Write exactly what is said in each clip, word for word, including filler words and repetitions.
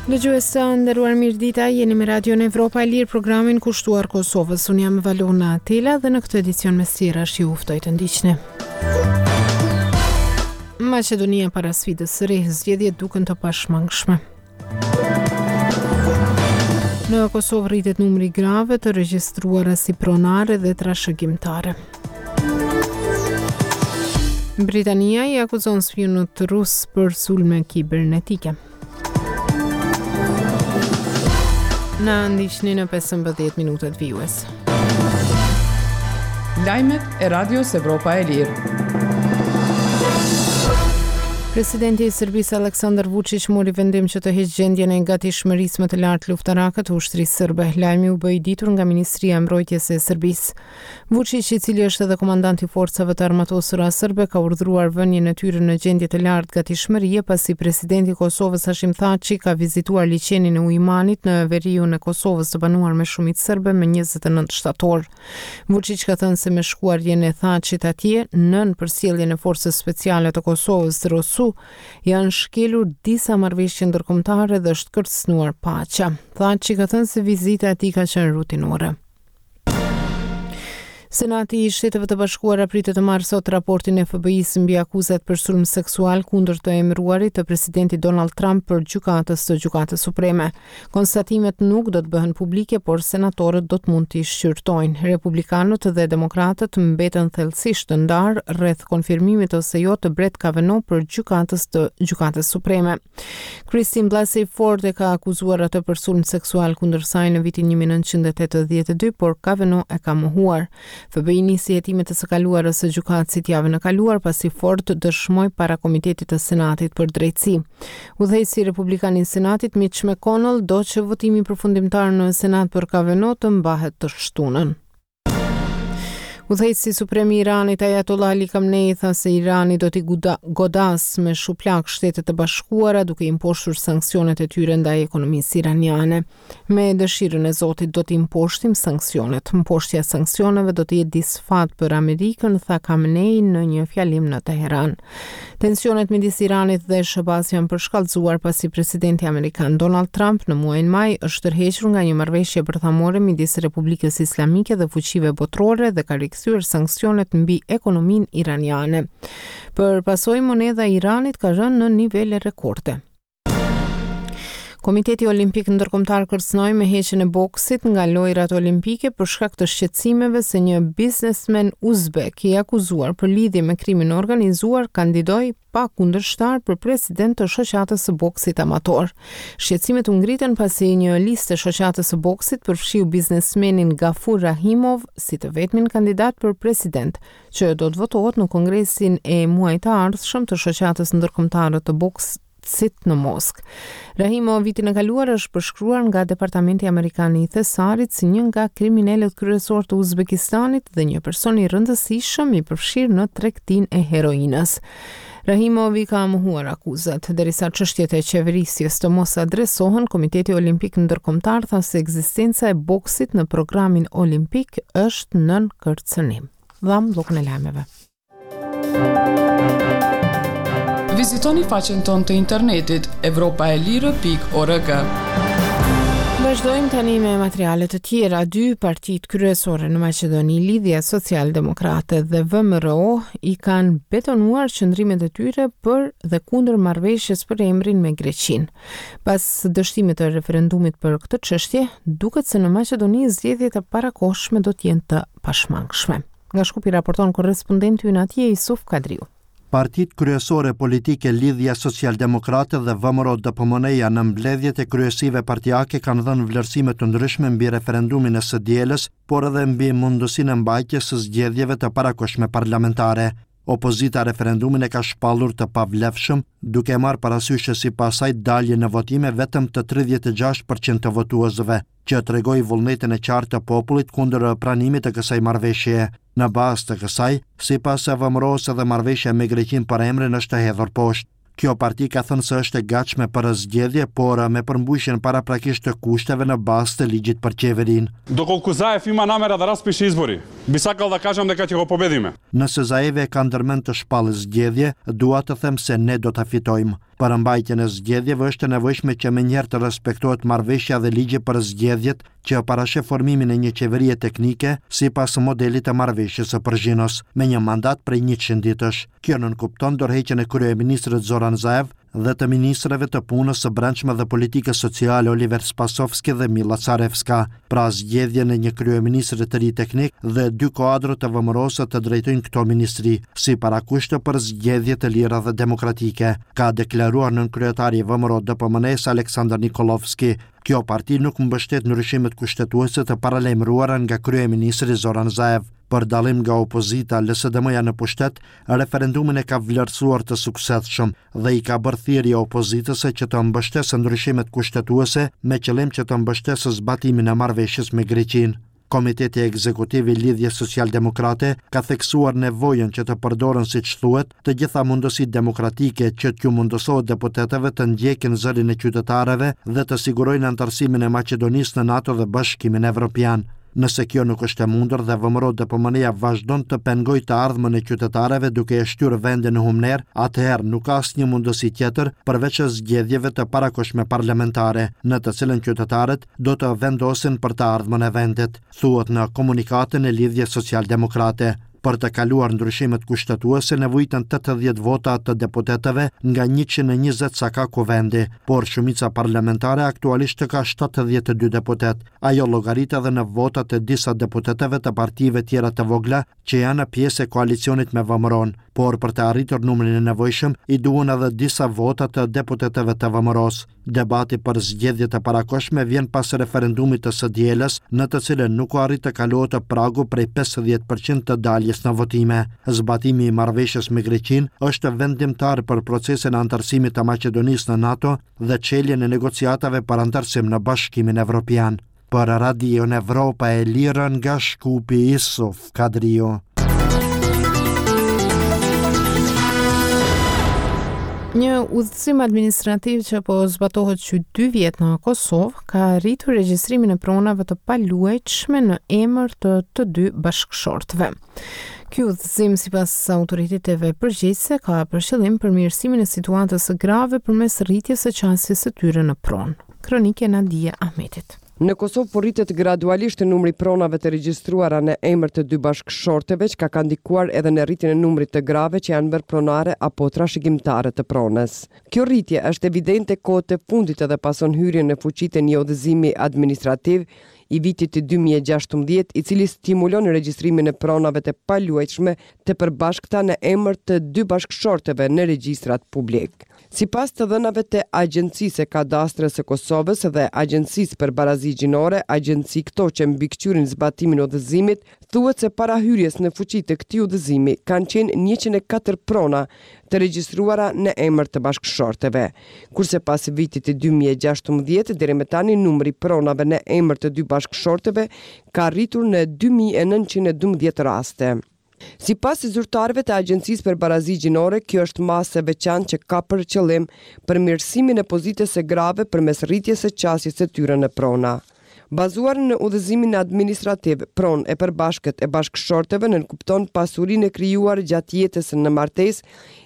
Dëgjues të nderuar, mirëdita, jeni me Radion Evropa e Lirë, programin kushtuar Kosovës. Unë jam Valona Tela dhe në këtë edicion mes tjerash ju ftoj të ndiqni. Maqedonia para sfidës së re, zgjedhjet duken të pashmangshme. Në Kosovë rritet numri i grave të regjistruara si pronare dhe trashëgimtare. Britania i akuzon spiunët rus për sulme kibernetike. Na ndiqni në pesëmbëdhjetë minutat vijues. Lajmet e Radios Evropa e Lirë. Presidenti i Serbisë Aleksandar Vučić mori vendim që të heqë gjendjen e gatishmërisë më të lartë luftarake të ushtrisë serbe. Lajmi u bë i ditur nga Ministria e Mbrojtjes e Serbisë. Vučić, i cili është edhe komandant i forcave të armatosura serbe, ka urdhëruar vënien e tyre në gjendje të lartë gatishmërie pasi presidenti i Kosovës Hashim Thaçi ka vizituar liqenin e Ujmanit në veriun e Kosovës të banuar me shumicë serbe më njëzet e nëntë shtator. Vučić ka thënë se me shkuarjen e Thaçit atje, nën përsjelljen e forcës speciale të Kosovës, Rosu, janë shkelur disa marrëveshje ndërkombëtare dhe është kërcënuar paqja. Thaçi ka thënë se vizita e tij ka qenë rutinore. Senati i Shteteve të Bashkuara pritet të marrë sot raportin e F B I-së mbi akuzat për sulm seksual kundër të emëruarit të presidentit Donald Trump për gjykatës të Gjykatës Supreme. Konstatimet nuk do të bëhen publike, por senatorët do të mund t'i shqyrtojnë. Republikanët dhe demokratët mbeten thellësisht të ndarë rreth konfirmimit ose jo të Brett Kavanaugh për gjykatës të Gjykatës Supreme. Christine Blasey Ford e ka akuzuar atë për sulm seksual kundër saj në vitin një mijë e nëntëqind e tetëdhjetë e dy, por Kavanaugh e ka mohuar. F B I nisi hetimet e së kaluarës së gjykatësit javën e kaluar pasi Ford dëshmoi para Komitetit të Senatit për Drejtësi. Udhëheqësi republikan i Senatit Mitch McConnell do që votimi përfundimtar në Senat për Kavanaugh të mbahet të shtunën. Udhëheqësi suprem i Iranit Ayatollah Ali Khamenei tha se Irani do t'i guda-, godas me shuplak Shtetet e Bashkuara duke imposhtur sanksionet e tyre ndaj ekonomisë iraniane. Me dëshirën e Zotit do t'i imposhtim sanksionet. Mposhtja e sanksioneve do të jetë disfat për Amerikën, tha Khamenei në një fjalim në Teheran. Tensionet midis Iranit dhe S H B A-s janë përshkallëzuar pasi presidenti amerikan Donald Trump në muajin maj është tërhequr nga një marrëveshje bërthamore midis Republikës Islamike dhe fuqive botërore dhe ka rikthyer sanksionet mbi ekonominë iraniane. Për pasojë, monedha e Iranit ka rënë në nivele rekorde. Komiteti Olimpik Ndërkombëtar kërcënoi me heqjen e boksit nga lojrat olimpike për shkak të shqetësimeve se një biznesmen uzbek i akuzuar për lidhje me krimin e organizuar kandidoi pa kundërshtar për president të shoqatës së boksit amator. Shqetësimet u ngritën pasi një listë e shoqatës së boksit përfshiu biznesmenin Gafur Rahimov si të vetmin kandidat për president, që do të votohet në kongresin e muajit të ardhshëm të shoqatës ndërkombëtare të boksit në Moskë. Rahimov vitin e kaluar është përshkruar nga Departamenti Amerikan i Thesarit si një nga kriminelët kryesorë të Uzbekistanit dhe një person i rëndësishëm i përfshirë në tregtinë e heroinës. Rahimov i ka mohuar akuzat, derisa çështjet e qeverisjes të mos adresohen, Komiteti Olimpik Ndërkombëtar tha se ekzistenca e boksit në programin olimpik është nën kërcënim. Dham bllokun e lajmeve. Vizitoni faqen tonë të internetit evropa e lirë pikë org. Vazhdojmë tani me materiale të tjera. Dy partitë kryesore në Maqedoni, Lidhja Socialdemokrate dhe V M R O, i kanë betonuar qëndrimet e tyre për dhe kundër marrëveshjes për emrin me Greqinë. Pas dështimit të referendumit për këtë çështje, duket se në Maqedoni zgjedhjet e parakohshme do të jenë të pashmangshme. Nga Shkupi raporton korrespondenti ynë atje, Isuf Kadriu. Partitë kryesore politike Lidhja Socialdemokrate dhe V M R O D P M N-ja në mbledhjet e kryesive partiake kanë dhënë vlerësime të ndryshme mbi referendumin e së dielës, por edhe mbi mundësinë e mbajtjes së zgjedhjeve të parakohshme parlamentare. Opozita referendumin e ka shpallur të pavlefshëm, duke marrë parasysh se sipas saj dalje në votime vetëm të tridhjetë e gjashtë përqind të votuesve, që tregoi vullnetin e qartë të popullit kundër pranimit të kësaj marrëveshjeje. Në bazë të kësaj, sipas V M R O-s edhe marrëveshja me Greqinë për emrin është e hedhur poshtë. Kjo parti ka thënë se është e gatshme për zgjedhje, por me përmbushjen paraprakisht të kushteve në bazë të ligjit për qeverinë. Dokolku Zaev ima namera da raspiše izbori, bi sakal da kažem deka će go pobedime. Nëse Zaev e ka ndërmend të shpallë zgjedhje, dua të them se ne do ta fitojmë. Për mbajtjen e zgjedhjeve është e nevojshme që menjëherë të respektohet marrëveshja dhe ligji për zgjedhjet që parasheh formimin e një qeverie teknike sipas modelit të marrëveshjes së Përzhinos, me një mandat prej njëqind ditësh. Kjo nënkupton dorëheqjen e kryeministrit Zoran Zaev dhe të ministrave të punës së brendshme dhe politikës sociale Oliver Spasovski dhe Milla Carevska, pra zgjedhjen e një kryeministri të ri teknik dhe dy kuadro të V M R O-së të drejtojnë këto ministri, si parakushte për zgjedhje të lira dhe demokratike, ka deklaruar nënkryetari i V M R O D P M N-s Aleksandar Nikolovski. Kjo parti nuk mbështet ndryshimet kushtetuese të paralajmëruara nga kryeministri Zoran Zaev. Për dallim nga opozita, L S D M-ja në pushtet, referendumin e ka vlerësuar të suksesshëm dhe i ka bërë thirrje opozitës që të mbështesë ndryshimet kushtetuese me qëllim që të mbështesë zbatimin e marrëveshjes me Greqinë. Komiteti Ekzekutiv i Lidhjes Social-Demokrate ka theksuar nevojën që të përdoren, siç thuhet, të gjitha mundësitë demokratike që t'ju mundësohet deputetëve të ndjekin zërin e qytetarëve dhe të sigurojnë anëtarësimin e Maqedonisë në NATO dhe Bashkimin Evropian. Nëse kjo nuk është e mundur dhe V M R O D P M N-ja vazhdon të pengojë të ardhmen e qytetarëve duke e shtyrë vendin në humner, atëherë nuk ka asnjë mundësi tjetër përveç zgjedhjeve të parakohshme parlamentare, në të cilën qytetarët do të vendosin për të ardhmen e vendit, thuhet në komunikatën e Lidhjes Social-Demokrate. Për të kaluar ndryshimet kushtetuese nevojiten tetëdhjetë vota të deputetëve nga njëqind e njëzet sa ka kuvendi, por shumica parlamentare aktualisht ka shtatëdhjetë e dy deputet. Ajo llogarit edhe në votat e disa deputetëve të partive tjera të vogla që janë pjesë e koalicionit me V M R O-n, por për të arritur numrin e nevojshëm i duhen edhe disa vota të deputetëve të V M R O-s. Debati për zgjedhjet e parakohshme vjen pas referendumit të së dielës, në të cilën nuk u arrit të kalohet pragu prej pesëdhjetë përqind të daljes në votime. Zbatimi i marrëveshjes me Greqinë është vendimtar për procesin e anëtarësimit të Maqedonisë në NATO dhe çeljen e negociatave për anëtarësim në Bashkimin Evropian. Për Radion Evropa e Lirë nga Shkupi, Isuf Kadriu. Një udhëzim administrativ që po zbatohet që dy vjet në Kosovë ka rritur regjistrimin e pronave të paluajtshme në emër të të dy bashkëshortëve. Ky udhëzim, sipas autoriteteve përgjegjëse, ka për qëllim përmirësimin e situatës së grave përmes rritjes së qasjes së tyre në pronë. Kronike Nadia Ahmetit. Në Kosovë po rritet gradualisht numri i pronave të regjistruara në emër të dy bashkëshortëve, çka ka ndikuar edhe në rritjen e numrit të grave që janë bërë pronare apo trashëgimtare të pronës. Kjo rritje është evidente kohët e fundit edhe pason hyrjen në fuqi të një udhëzimi administrativ i vitit dy mijë e gjashtëmbëdhjetë, i cili stimulon regjistrimin e pronave të paluajtshme të përbashkëta në emër të dy bashkëshortëve në regjistrat publik. Sipas të dhënave të Agjencisë së Kadastrës së Kosovës dhe Agjencisë për Barazi Gjinore, agjenci këto që mbikëqyrin zbatimin e udhëzimit, thuhet se para hyrjes në fuqi të këtij udhëzimi kanë qenë njëqind e katër prona të regjistruara në emër të bashkëshortëve, kurse pas vitit dy mijë e gjashtëmbëdhjetë deri më tani numri i pronave në emër të dy bashkëshortëve ka arritur në dy mijë e nëntëqind e dymbëdhjetë raste. Sipas zyrtarëve të Agjencisë për Barazi Gjinore, kjo është masë e veçantë që ka për qëllim përmirësimin e pozitës së grave përmes rritjes së qasjes së tyre në prona. Bazuar në udhëzimin administrativ, pronë e përbashkët e bashkëshortëve nënkupton pasurinë e krijuar gjatë jetës në martesë,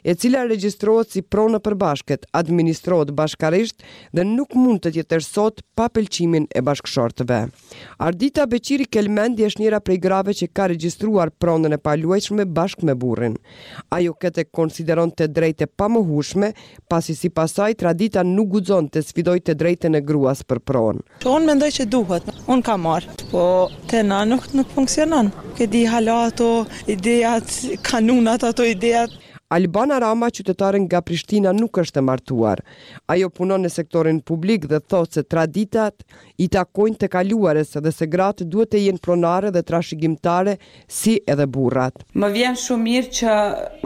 e cila regjistrohet si pronë e përbashkët, administrohet bashkarisht dhe nuk mund të tjetërsohet pa pëlqimin e bashkëshortëve. Ardita Beqiri Kelmendi është njëra prej grave që ka regjistruar pronën e paluajtshme bashkë me burrin. Ajo këtë konsideron të drejtë e pamohueshme, pasi sipas saj tradita nuk guxon të sfidojë të drejtën e gruas për pronë. Unë mendoj që duhet. Unë kam marrë, po te na nuk, nuk funksionon. Ke di hala ato idejat, kanunat, ato idejat. Albana Rama, qytetare nga Prishtina, nuk është e martuar. Ajo punon në sektorin publik dhe thotë se traditat i takojnë të kaluarës dhe se gratë duhet të jenë pronare dhe trashëgimtare si edhe burrat. Më vjen shumë mirë që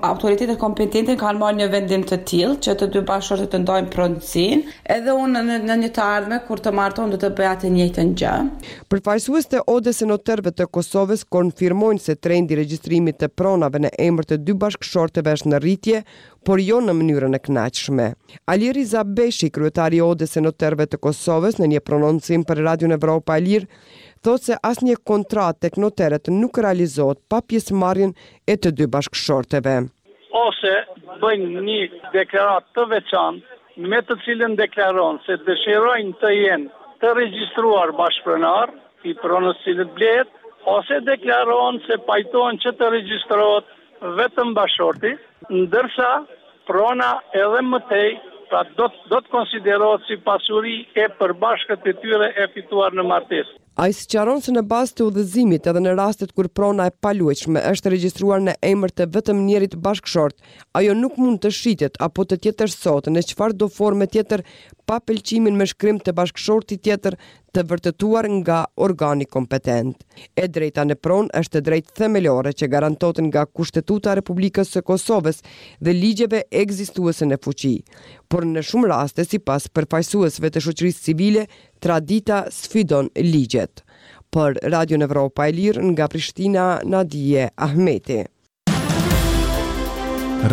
autoritetet kompetente kanë marrë një vendim të tillë që të dy bashkëshortët të ndajnë pronësinë. Edhe unë në, në një të ardhme kur të martohem do të bëj atë njëjtën gjë. Përfaqësuesit e Odës së Noterëve të Kosovës konfirmojnë se trendi i regjistrimit të pronave në emër të dy bashkëshortëve është në rritje, por jo në mënyrën e kënaqshme. Ali Riza Beshi, kryetari i Odës së Noterëve të Kosovës, në një prononcim për Radion Evropa e Lirë, thotë se asnjë kontratë tek noterët nuk realizohet pa pjesëmarrjen e të dy bashkëshortëve. Ose bëjnë një deklaratë të veçantë me të cilën deklaron se dëshirojnë të jenë të regjistruar bashkëpronar i pronës cilët blehet, ose deklaron se pajtohen që të regjistrohet vetëm bashkëshorti, ndërsa prona edhe më tej, pra do, do të konsiderohet si pasuri e përbashkët e tyre e fituar në martesë. Ai sqaron se në bazë të udhëzimit edhe në rastet kur prona e paluajtshme është regjistruar në emër të vetëm njërit bashkëshort, ajo nuk mund të shitet apo të tjetërsohet në çfarëdo forme tjetër pa pëlqimin me shkrim të bashkëshortit tjetër të vërtetuar nga organi kompetent. E drejta në pronë është e drejtë themelore që garantohet nga Kushtetuta e Republikës së Kosovës dhe ligjeve ekzistuese në fuqi. Por në shumë raste, sipas përfaqësuesve të shoqërisë civile, tradita sfidon ligjet. Për Radion Evropa e Lirë nga Prishtina, Nadie Ahmeti.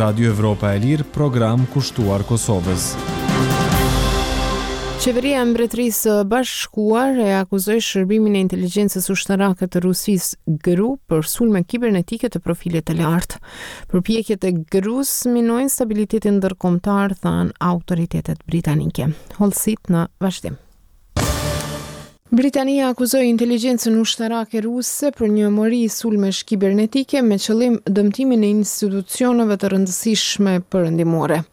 Radio Evropa e Lirë, program kushtuar Kosovës. Qeveria e Mbretërisë së Bashkuar e akuzoi shërbimin e inteligjencës ushtarake të Rusisë G R U për sulme kibernetike të profilit të lartë. Përpjekjet e G R U-s minojnë stabilitetin ndërkombëtar, thanë autoritetet britanike. Hollësitë në vazhdim. Britania akuzoi inteligjencën ushtarake ruse për një mori sulmesh kibernetike me qëllim dëmtimin e institucioneve të rëndësishme perëndimore.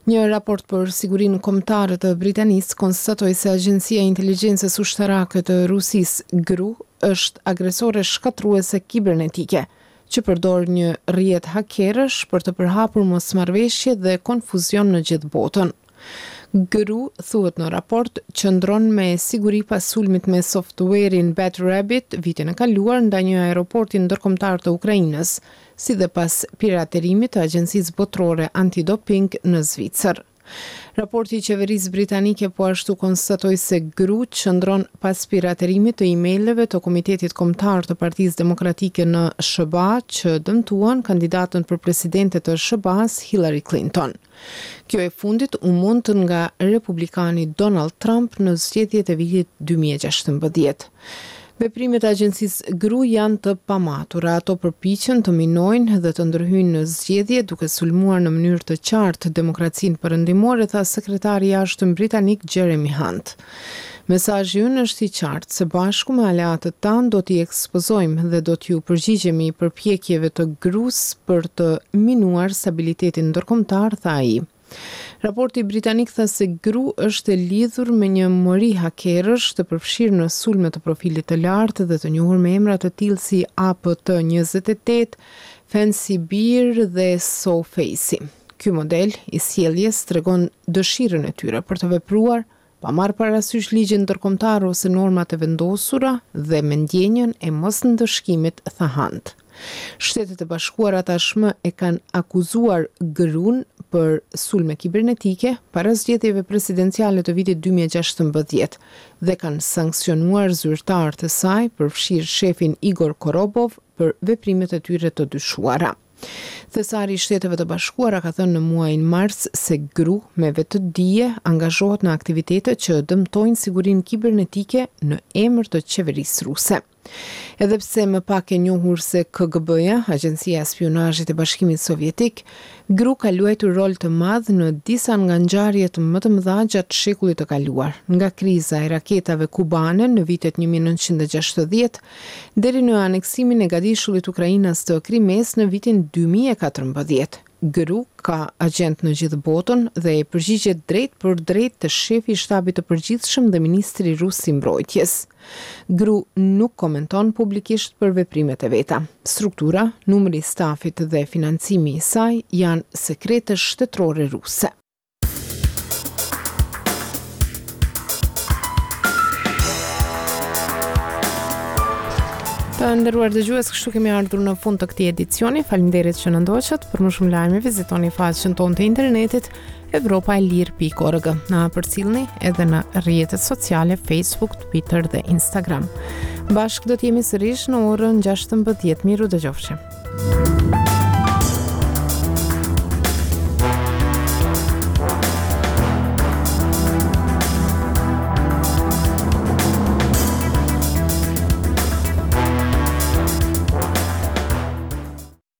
Një raport për sigurinë kombëtare të Britanisë konstatoi se Agjencia e Inteligjencës Ushtarake të Rusisë G R U është agresore shkatërruese kibernetike që përdor një rrjet hakerësh për të përhapur mosmarrëveshje dhe konfuzion në gjithë botën. G R U, thuhet në raport, qëndron me siguri pas sulmit me softwarein Bad Rabbit vitin e kaluar ndaj një aeroporti ndërkombëtar të Ukrainës, si dhe pas piraterimit të Agjencisë Botërore Antidoping në Zvicër. Raporti i qeverisë britanike po ashtu konstatoi se G R U qëndron pas piraterimit të emaileve të Komitetit Kombëtar të Partisë Demokratike në S H B A që dëmtuan kandidatën për presidente të S H B A-s Hillary Clinton. Kjo e fundit u mund nga republikani Donald Trump në zgjedhjet e vitit dy mijë e gjashtëmbëdhjetë. Veprimet e agjencisë G R U janë të pamatura. Ato përpiqen të minojnë dhe të ndërhyjnë në zgjedhje duke sulmuar në mënyrë të qartë demokracinë perëndimore, tha sekretari i jashtëm britanik Jeremy Hunt. Mesazhi ynë është i qartë, se bashku me aleatët tanë do t'i ekspozojmë dhe do t'ju përgjigjemi përpjekjeve të G R U-s për të minuar stabilitetin ndërkombëtar, tha ai. Raporti britanik tha se G R U është e lidhur me një mori hakerësh të përfshirë në sulme të profilit të lartë dhe të njohur me emra të tillë si A P T njëzet e tetë, Fancy Bear dhe Sofacy. Ky model i sjelljes tregon dëshirën e tyre për të vepruar pa marrë parasysh ligjin ndërkombëtar ose normat e vendosura dhe me ndjenjën e mos ndëshkimit, tha Hunt. Shtetet e Bashkuara tashmë e kanë akuzuar G R U-n për sulme kibernetike para zgjedhjeve presidenciale të vitit dy mijë e gjashtëmbëdhjetë dhe kanë sanksionuar zyrtarë të saj, përfshirë shefin Igor Korobov, për veprimet e tyre të dyshuara. Thesari i Shteteve të Bashkuara ka thënë në muajin mars se G R U me vetëdije angazhohet në aktivitete që dëmtojnë sigurinë kibernetike në emër të qeverisë ruse. Edhe pse më pak e njohur se K G B-ja, Agjencia e Spionazhit e Bashkimit Sovjetik, G R U ka luajtur rol të madh në disa nga ngjarjet më të mëdha gjatë shekullit të kaluar, nga kriza e raketave kubane në vitet një mijë e nëntëqind e gjashtëdhjetë deri në aneksimin e gadishullit ukrainas të Krimesë në vitin dy mijë e katërmbëdhjetë. G R U ka agent në gjithë botën dhe e përgjigjet drejt për drejt të shefi i shtabit të përgjithshëm dhe ministri rus i mbrojtjes. G R U nuk komenton publikisht për veprimet e veta. Struktura, numri i stafit dhe financimi i saj janë sekrete shtetërore ruse. Të nderuar dëgjues, kështu kemi ardhur në fund të këtij edicioni. Faleminderit që na ndoqët. Për më shumë lajme vizitoni faqen tonë të internetit evropaelire pikë org. Na përcillni edhe në rrjetet sociale Facebook, Twitter dhe Instagram. Bashkë do të jemi sërish në orën gjashtëmbëdhjetë. Miru dëgjofshim.